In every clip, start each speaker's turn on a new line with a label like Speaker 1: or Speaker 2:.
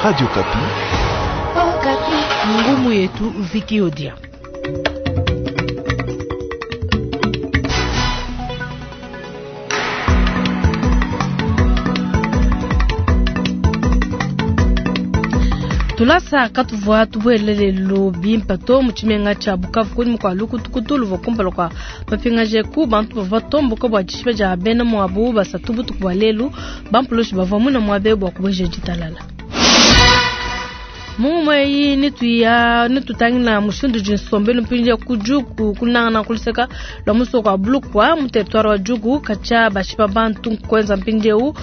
Speaker 1: Radio Okapi.
Speaker 2: Ngumu yetu Viki Odia. Tulasa katuvua tubuele lelu bimpe to mu tshimenga tshia Bukavu kunyima kua lukutukutu luvua kumpala kua mapingaje ku bantu bavua batomboka bua dishipa dia bena muabu basatu butuku bua lelu. Bampulushi bavua muna muabe bua kubueja ditalala. Mu eyi nituya nitutangila mushindu udi nsombelu mpindieu ku Djugu kunangana kuluseka lua musoko wa Bulukwa mu territoire wa Djugu katshia bashipa bantu kuenza mpindieu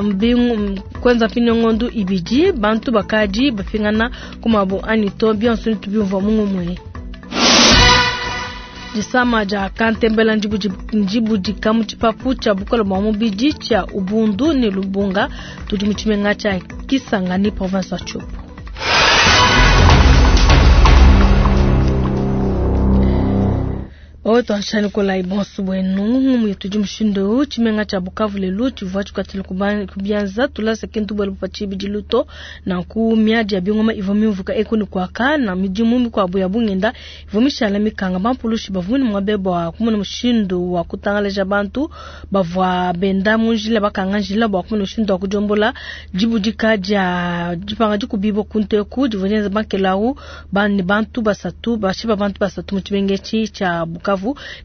Speaker 2: mbingu kuenza mpindieu ngondu ibidi bantu bakadi bapingana ku mabu anyi to bionso nitubiumvua mu ngumue. Disama dia kantembela ndibudika mu tshipapu tshia bukole bua mubidi tshia Ubundu ne Lubunga tudi mu tshimenga tshia Kisangani province wa Tshopo. Oto anshani kolai bonso bwenu ngumu yetu di mushindu eu tshimenga tshia Bukavu lelu tshivua tshikuatshila ku bianza tulasa kintu buelu pa tshibidilu to nanku miadi ya bingoma ivua mimvuka eku ne kuaka na midimu mikuabu ya bungenda ivua mishala mikanga. Bampulushi bavua ne muabe bua kumona mushindu wa kutangalaja bantu bavua benda mu njila bakanga njila bua kumona mushindu wa kudiombola dibudika dia dipanga dikubibua ku nteku divua dienza bankelau ne bantu basatu bashipa bantu basatu mu tshimenga etshi tshia Bukavu.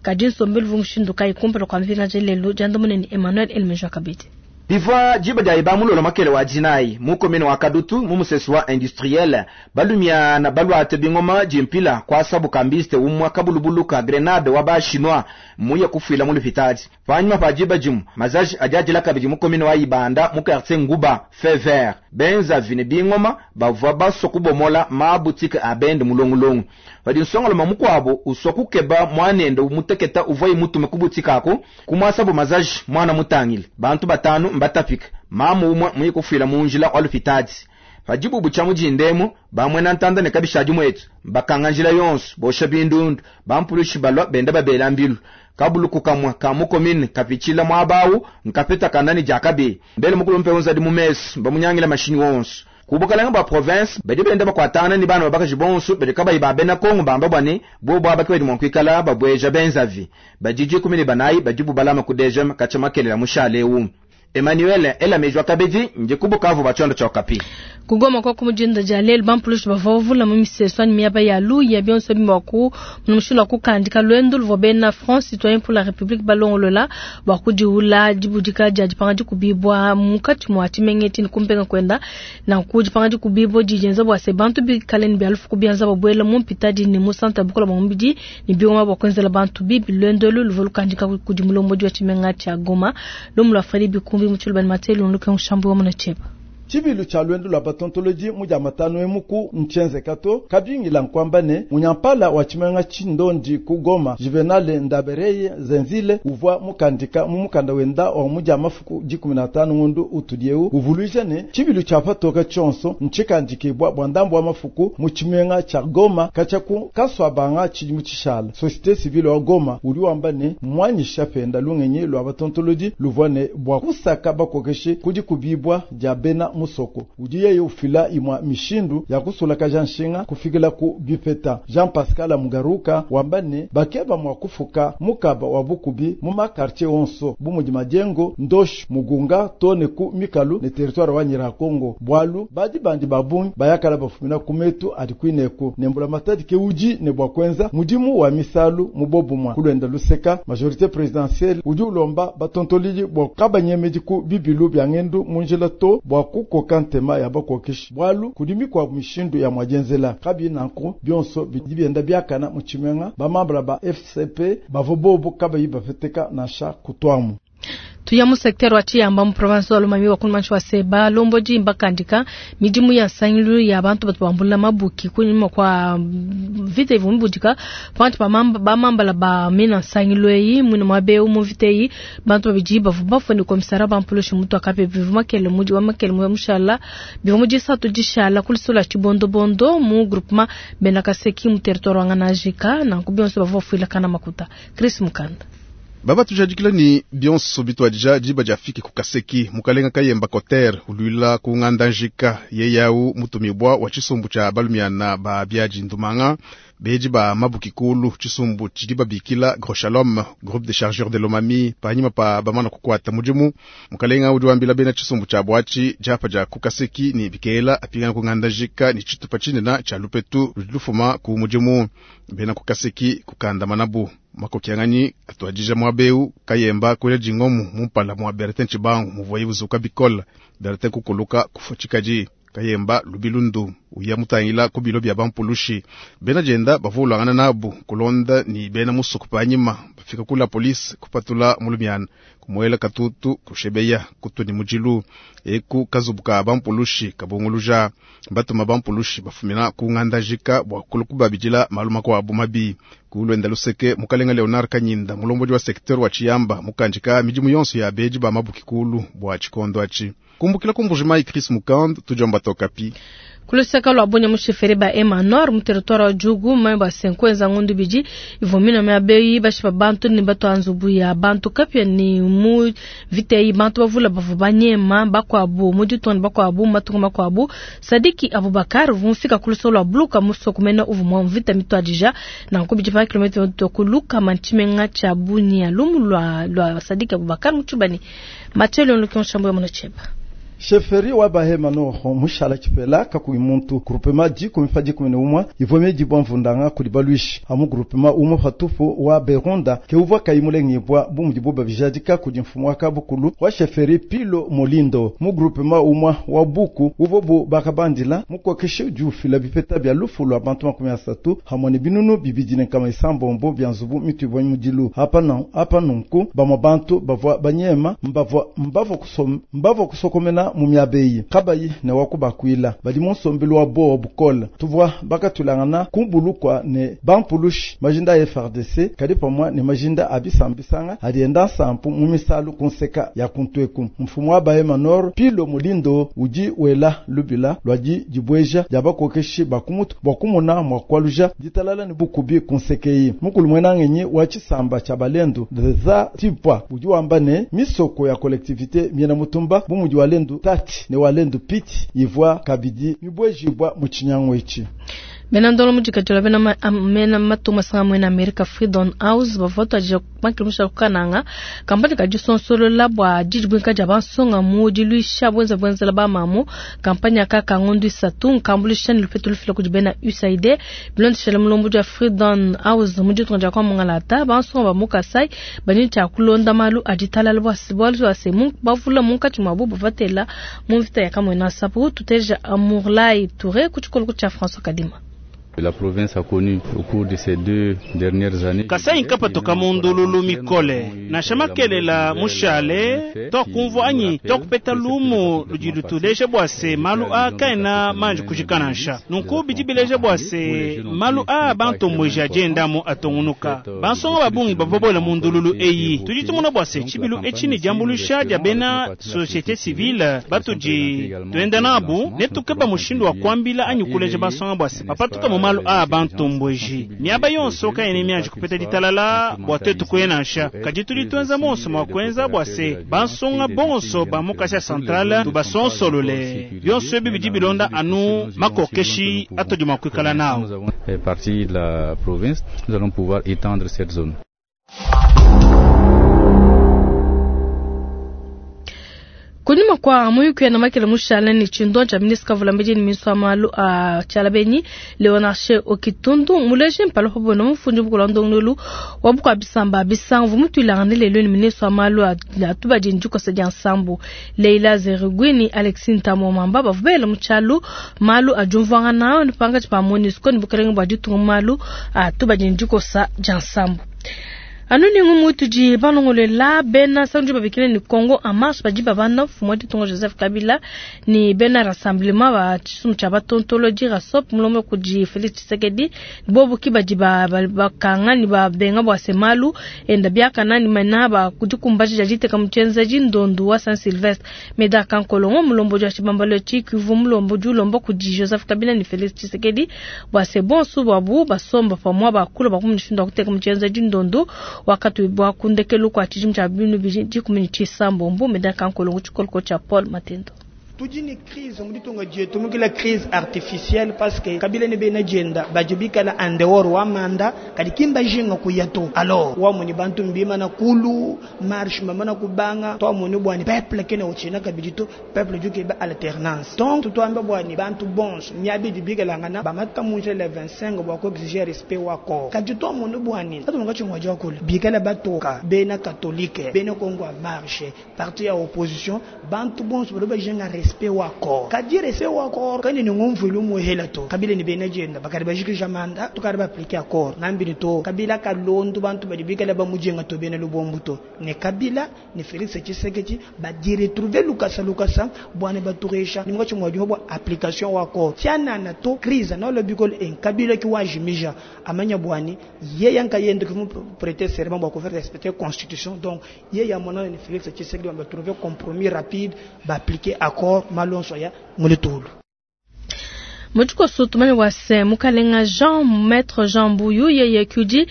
Speaker 2: Kadi nsombelu uvua mushindu kayi kumpala kua mipingaja lelu diandamuna ni Emmanuel Elmeja Kabidi.
Speaker 3: Bivua diba dia iba mulolo makele wa dinayi mu commune wa Kadutu mu musesu wa industriel balumia na baluate bingoma jimpila kwa sabu kambiste umwa kabulubulu ka grenade wa ba chinois muye kufuila mu lupitadi panyuma pa diba dimu mazaji adiadila kabidi mu commune wa Ibanda mu quartier Nguba feu vert benza vine bingoma bavua baso kubomola ma boutique abende mulongulongu padi nsongolo mukwabo uswa kukeba mwanende umuteketa uvua imutume ku boutique ako kumwasabu mazaji mwana mutangile bantu batanu mbatapika mamu umwe muye kufuila mu njila wa lupitadi padibubu tshia mujindemu bamwena ntanda ne kabishadi mwetu bakanga njila yonso bosha bindundu bampulushi balwa benda babela mbilu kabuluku kamwe ka mukomine kapitshila mwabawu nkapeta kanani jakabe mbele mukulu mpe unzadi mu mesu bamunyangila mashini wonso kubukalanga ba province badi benda bakwatana ni bana babakaji bonso badi kabayi ba bena Kongo bamba bwane bo bwa bakwe mwa kwikala babweja benzavi badiji 14 badi bubalama ku DGM kacha makelela mushale Emmanuel Elamejwa Kabedi nje kubukavu bachondo cha Okapi.
Speaker 2: Kugoma kwa kumujinda jalel bampulushi bavovula mu miseso ni miaba ya luya bionso bimwaku mumushindu wa kukandika lwendo luvua bena France Citoyen pour la République balongolola bua kudiula dibudika dia dipanga dikubibwa munkatshi mua tshimenga ni kumpenga kwenda na ku dipanga dikubibwa didienza bua se bantu bikale ne bialufu kubianza babuela mu mpitadi ne mu centre bukola bua mubidi ne bioma bua kuenzela bantu bibi lwendo luvua lukandika kudi mulombodi wa tshimenga tshia Goma lomu lwa Fredi Bikumbi mutshulu bani matelu nluke nshambu wa munacheba.
Speaker 4: Tshibilu tshia lwendo lwa batontoloji mu dia matano emuku ntshenzeka kabingila nkwamba ne munyampala wa tshimenga tshindondi ku Goma Juvenal Ndabereye Zenzile uvua mukandika mu mukanda wenda wa mu dia mafuku 15 ngundu utudieu uvuluija ne tshibilu tshia patoka tshionso ntshikandikibwa bua ndambu wa mafuku mu tshimenga tshia Goma katshia ku kaswabanga tshidimu tshishala. Société civile wa Goma udi wamba ne mwanyisha penda lungenyi lwa batontoloji luvua ne bua kusaka bakokeshi kudi kubibwa dia bena musoko udi yeye ufila imwa mishindu ya kusulakaja nshinga kufikila ku bipeta. Jean Pascal Mugaruka wamba ne bakeba mwa kufuka mukaba wa bukubi mu makartier onso bumudi majengo ndosh mugunga tone ku mikalu ne territoire wa Nyiragongo bwalu badi bandi babungi bayakala bafumina kumetu adi kwineku nembula matadi ke uji ne bwa kwenza mudimu wa misalu mubobumwa kulwenda luseka majorité présidentielle udi ulomba batontoliji bwa kabanyemedi ku bibilu bya ngendu munjila to bwa kukoka ntema ya bakokeshi bwalu kudi mikwa mishindu ya mwajenzela kabi nanku bionso bidi bienda biakana mu tshimenga bamambula ba FCP bavo bobo kabayi bafeteka nansha kutwamu.
Speaker 2: Tuya mu secteur wa Tshiyamba mu province wa Lomami wa kumanshi wa Seba Lombodi mbakandika midimu ya nsangilu ya bantu batu bambula mabuki kunyuma kwa vita ivu mbudika pantu ba mambala ba mina nsangilu eyi mwina mwabe mu vita eyi bantu babidi bavu bafune komisara bampulushi mutu akape bivu makele mudi wa makele mu mushala bivu mudi satu dishala kulisula chibondobondo mu groupement Benakaseki mu territoire wa Nganajika na kubionso bavu bafuila kana makuta. Chris Mukanda.
Speaker 1: Baba tujadikila ni bionso bitwadija diba diafiki ku Kaseki mukalenga Kayemba Koter ulwila ku nganda njika yeyau mutumibwa wa tshisumbu tshia balumiana ba biadi ndumanga beji ba mabuki kulu tshisumbu tshidi babikila Gros Shalom groupe de chargeurs de lomami panyima pa bamana kukwata mudimu mukalenga udi wambila bena tshisumbu tshia bwatshi diapa dia ku Kaseki ni bikela apingana ku nganda njika ni tshitupa tshinena tshia lupetu ludi lufuma ku mudimu bena ku Kaseki kukanda manabu makokianganyi atuadija mwabeu Kayemba kwela dingomu mumpala mwa Bertin Tshibangu muvoyi buzuka bikola Bertin kukuluka kufa tshikadi Kayemba lubilundu uya mutangila ku bilo bya bampulushi bena jenda bavulangana nabu kulonda ni bena musuku panyima bafika kula polisi kupatula mulumiana kumuela katutu kushebeya kutuni mujilu eku kazubuka bampulushi kabunguluja batuma bampulushi bafumina ku ngandajika bwa kulukubabijila maluma kwa mabi kulwenda luseke mukalenga Leonard Kanyinda mulombodi wa secteur wa Chiyamba mukanjika midimu yonso ya beji ba mabuki kulu bwa tshikondo atshi kumbukila kumbujimai Chris Mukand tujomba tokapi
Speaker 2: kuluseka lwa bunya mushefere ba Emanor mu territoire wa Djugu mai ba senkweza ngundu bidi ivomina mya beyi bashipa bantu ni batu anzubu ya bantu kapya ni mu vitei bantu bavula bavu banyema bakwabu mu ditonde bakwabu matunga makwabu Sadiki Abubakar vumfika kuluseka lwa bluka musoko mena uvu mwa mvita mitwadija na nkubidi pa kilometre tokuluka manchimenga cha bunya lumu lwa Sadiki Abubakar muchubani Mathieu Lukion Shambo ya Monacheba.
Speaker 4: Sheferi wa bahema noho mushala chipela kakuyi muntu grupema dikumi pa dikumi ne umwa ivome dibwa mvundanga kuli balwishi amu grupema umwe patupu wa Beronda ke uvwa kayimulengibwa bumudi buba bijadika kudi mfumu wa kabukulu wa sheferi Pilo Molindo mu grupema umwa wa Buku uvo bu bakabandila mukokeshe udi ufila bipeta bya lufu lwa bantu 30 hamwe ne binunu bibidi ne nkama isambombo bya nzubu mitu ibwa mudilu apa nunku bamwa bantu bavwa banyema mbavwa kusokomena mumyabeyi kabayi ne wakubakwila bali munsombelu wa bowa bukola tuvwa bakatulangana kumbulukwa ne bampulushi majinda ya FARDC kadi pamwa ne majinda abisambisanga alienda nsampu mu misalu kunseka ya kuntweku mfumu wa Bahema Nord Pilo Mulindo udi wela lubila lwadi dibweja dia bakokeshi bakumutu bwa kumona mwa kwaluja ditalala ne bukubi kunsekeyi mukulu mwenangenyi wa tshisamba tshia balendu za tipwa udi wamba ne misoko ya collectivité miena mutumba bumudi wa lendu tati ne walendu piti ivwa kabidi mibwejibwa mu tshinyango ichi.
Speaker 2: Bena ndolo mujikatula bena mena matuma sanga mwena America Freedom House bavoto aje makimusha kukananga kampani kajisonsolola bwa jijibwinka ja bansonga mu diluisha bwenza bwenzela ba mamu kampani akaka ngondu isatu nkambulisha ni lupetu lufila kudi bena USAID bilondeshela mulombo ja Freedom House mujitunga kwa mungalata bansonga ba mukasai bani cha kulonda malu ajitalala bwa sibwalu wa semu bavula munkachi mwabu bavatela mu mvita ya kamwena sapu tuteja Amourlai Touré kuchikolo cha François Kadima.
Speaker 5: La province a connu au cours de ces 2 dernières années.
Speaker 6: Kasai nkapatoka mundululu mikole na shamakelela mushale tokumvwa anyi tokupeta lumu lujilutuleje bwase malu a kaena manji kujikanansha nunku bijibileje bwase malu a bantombweja ajendamu atongunuka bansonga babungi bavobola mundululu eyi tujitumuna bwase tshibilu etshi ni diambulusha dia bena société civile batuji tuenda nabu netukeba mushindu wa kuambila anyi kuleje bansonga bwase bapatuka mu malu a bantombweji miaba yonso kaene mianji kupeta ditalala bwa twetu kuenansha kadi tudi tuenza monso mwa kuenza bwa se bansonga bonso ba mukasha centrale tubasonsolole byonso ebi bidi bilonda anu makokeshi atodi mwa kuikala nao.
Speaker 5: Partie de la province, nous allons pouvoir étendre cette zone.
Speaker 2: Kunyuma kwa muyuku ya namakele mushala ni chindo cha ministre vulambedi ni ministre wa malu a chalabeni Leonard Okitundu muleje mpalo hobo mufundi bukulando ngulu wabuka bisamba bisanvu mutulanga lelo ni ministre wa malu a tubaji njuko sa jansambu Leila Zerugwini Alexine Tamomamba bavubele muchalu malu a jumvanga nao ni panga pa MONUSCO ni bukalenga bwa ditunga malu a tubaji njuko sa jansambu. Anuni ngumu tuji banongolela bena sanju babikile ni Congo en marche baji babana fumo ditongo Joseph Kabila ni bena rassemblement ba tshisumu tshia batontoloji rasop mulomo kuji Felix Tshisekedi bobu ki baji ba bakanga ni ba benga bwa semalu enda biakana ni mana ba kujikumbaji jajite kamuchenzaji ndondu wa Saint Sylvestre meda kankolongo mulombo ja chibambalo chikivu mulombo julombo kuji Joseph Kabila ni Felix Tshisekedi bwa se bon su babu basomba pamwa bakula bakumushinda kuteka muchenzaji ndondu. Wakatuibua ku ndekelu kua tshidimu tshia binu bidi dikumi ne tshisambombo. Medard Kankolongo tshikoloko tshia Paul Matendo.
Speaker 7: Tudi ne crise mu ditunga dietu, mukila crise artificielle parce que Kabila ne bena dienda badi bikala en dehors wa mandat, kadi kimba jinga kuya to. Alors wamoni bantu mbimana kulu marche mamana kubanga twamoni bwani peuple kene uchina kabidi to peuple dukeba alternance. Donc tutwamba bwani bantu bons miabi dibikelangana bamata munje le 25 bwa ko exiger respect wa corps. Kadi twamoni bwani atu ngachi ngwaja kula bikala batoka bena catholique bena Congo en marche parti ya opposition bantu bons baloba jinga respect wa corps. Kadi respect wa corps kani ni ngumvulu muhela to Kabila ni bena jenda bakari bajikija manda tukari ba appliquer accord ngambi ni to Kabila kalondu bantu badi bikala ba mujenga to bena lubombu to ne Kabila ne Félix Tshisekedi ba di retrouver lukasa lukasa bwana baturesha ni ngachi ngwaji bwa application wa accord tiana na to crise na lo bikol en Kabila ki wajimija amanya bwani ye yanka yende ki mu prêter serment bwa ko faire respecter constitution donc ye ya mona ne Félix Tshisekedi ba trouver compromis rapide ba appliquer accord malonso ya mulitulu.
Speaker 2: Mutukoso tumanye wase mukalenga Jean Maître Jean Mbuyu yeye kudi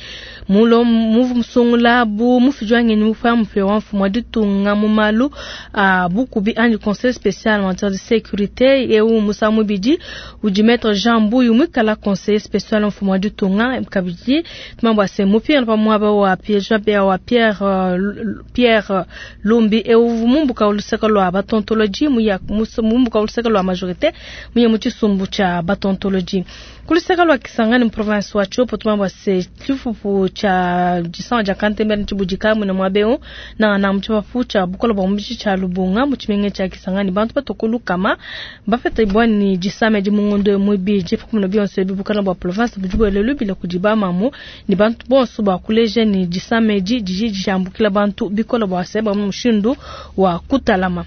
Speaker 2: mulo muvu musungula bu mufijwange ni mufa mfe wa mfumo wa ditunga mu malu a bukubi anyi conseil spécial en matière de sécurité eu musa mubidi udi Maître Jean Mbuyu mwikala conseil spécial mfumo wa ditunga kabidi tumanye wase mupia pa mwaba wa Pierre Jean Pierre wa Pierre Pierre Lumbi eu mumbuka uluseka lwa batontologie muya mumbuka uluseka lwa majorité muya muchisumbu cha batontologie. Kuluseka lwa Kisangani province wa Tshopo tumamba se chifufu cha jisan ja kantembe nchibujika mwina mwabeo na na mchipafu cha bukola bwa mbichi cha Lubunga muchimenge cha Kisangani bantu batokolu kama bafeta ibwani jisame di mungondo mwibi jifu kumno bionse bibukana bwa province bujubo lelu bila kujiba mamu ni bantu bonso ba kuleje ni jisame di jiji jambukila bantu bikola bwa seba mushindu wa kutalama.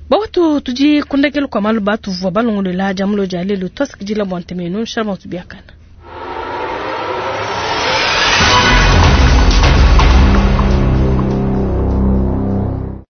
Speaker 2: Bawatu tuji kundekelu kwa malu batu vwa balongolela jamulo jalelu tosikijila bwantemenu shalma tubiakana.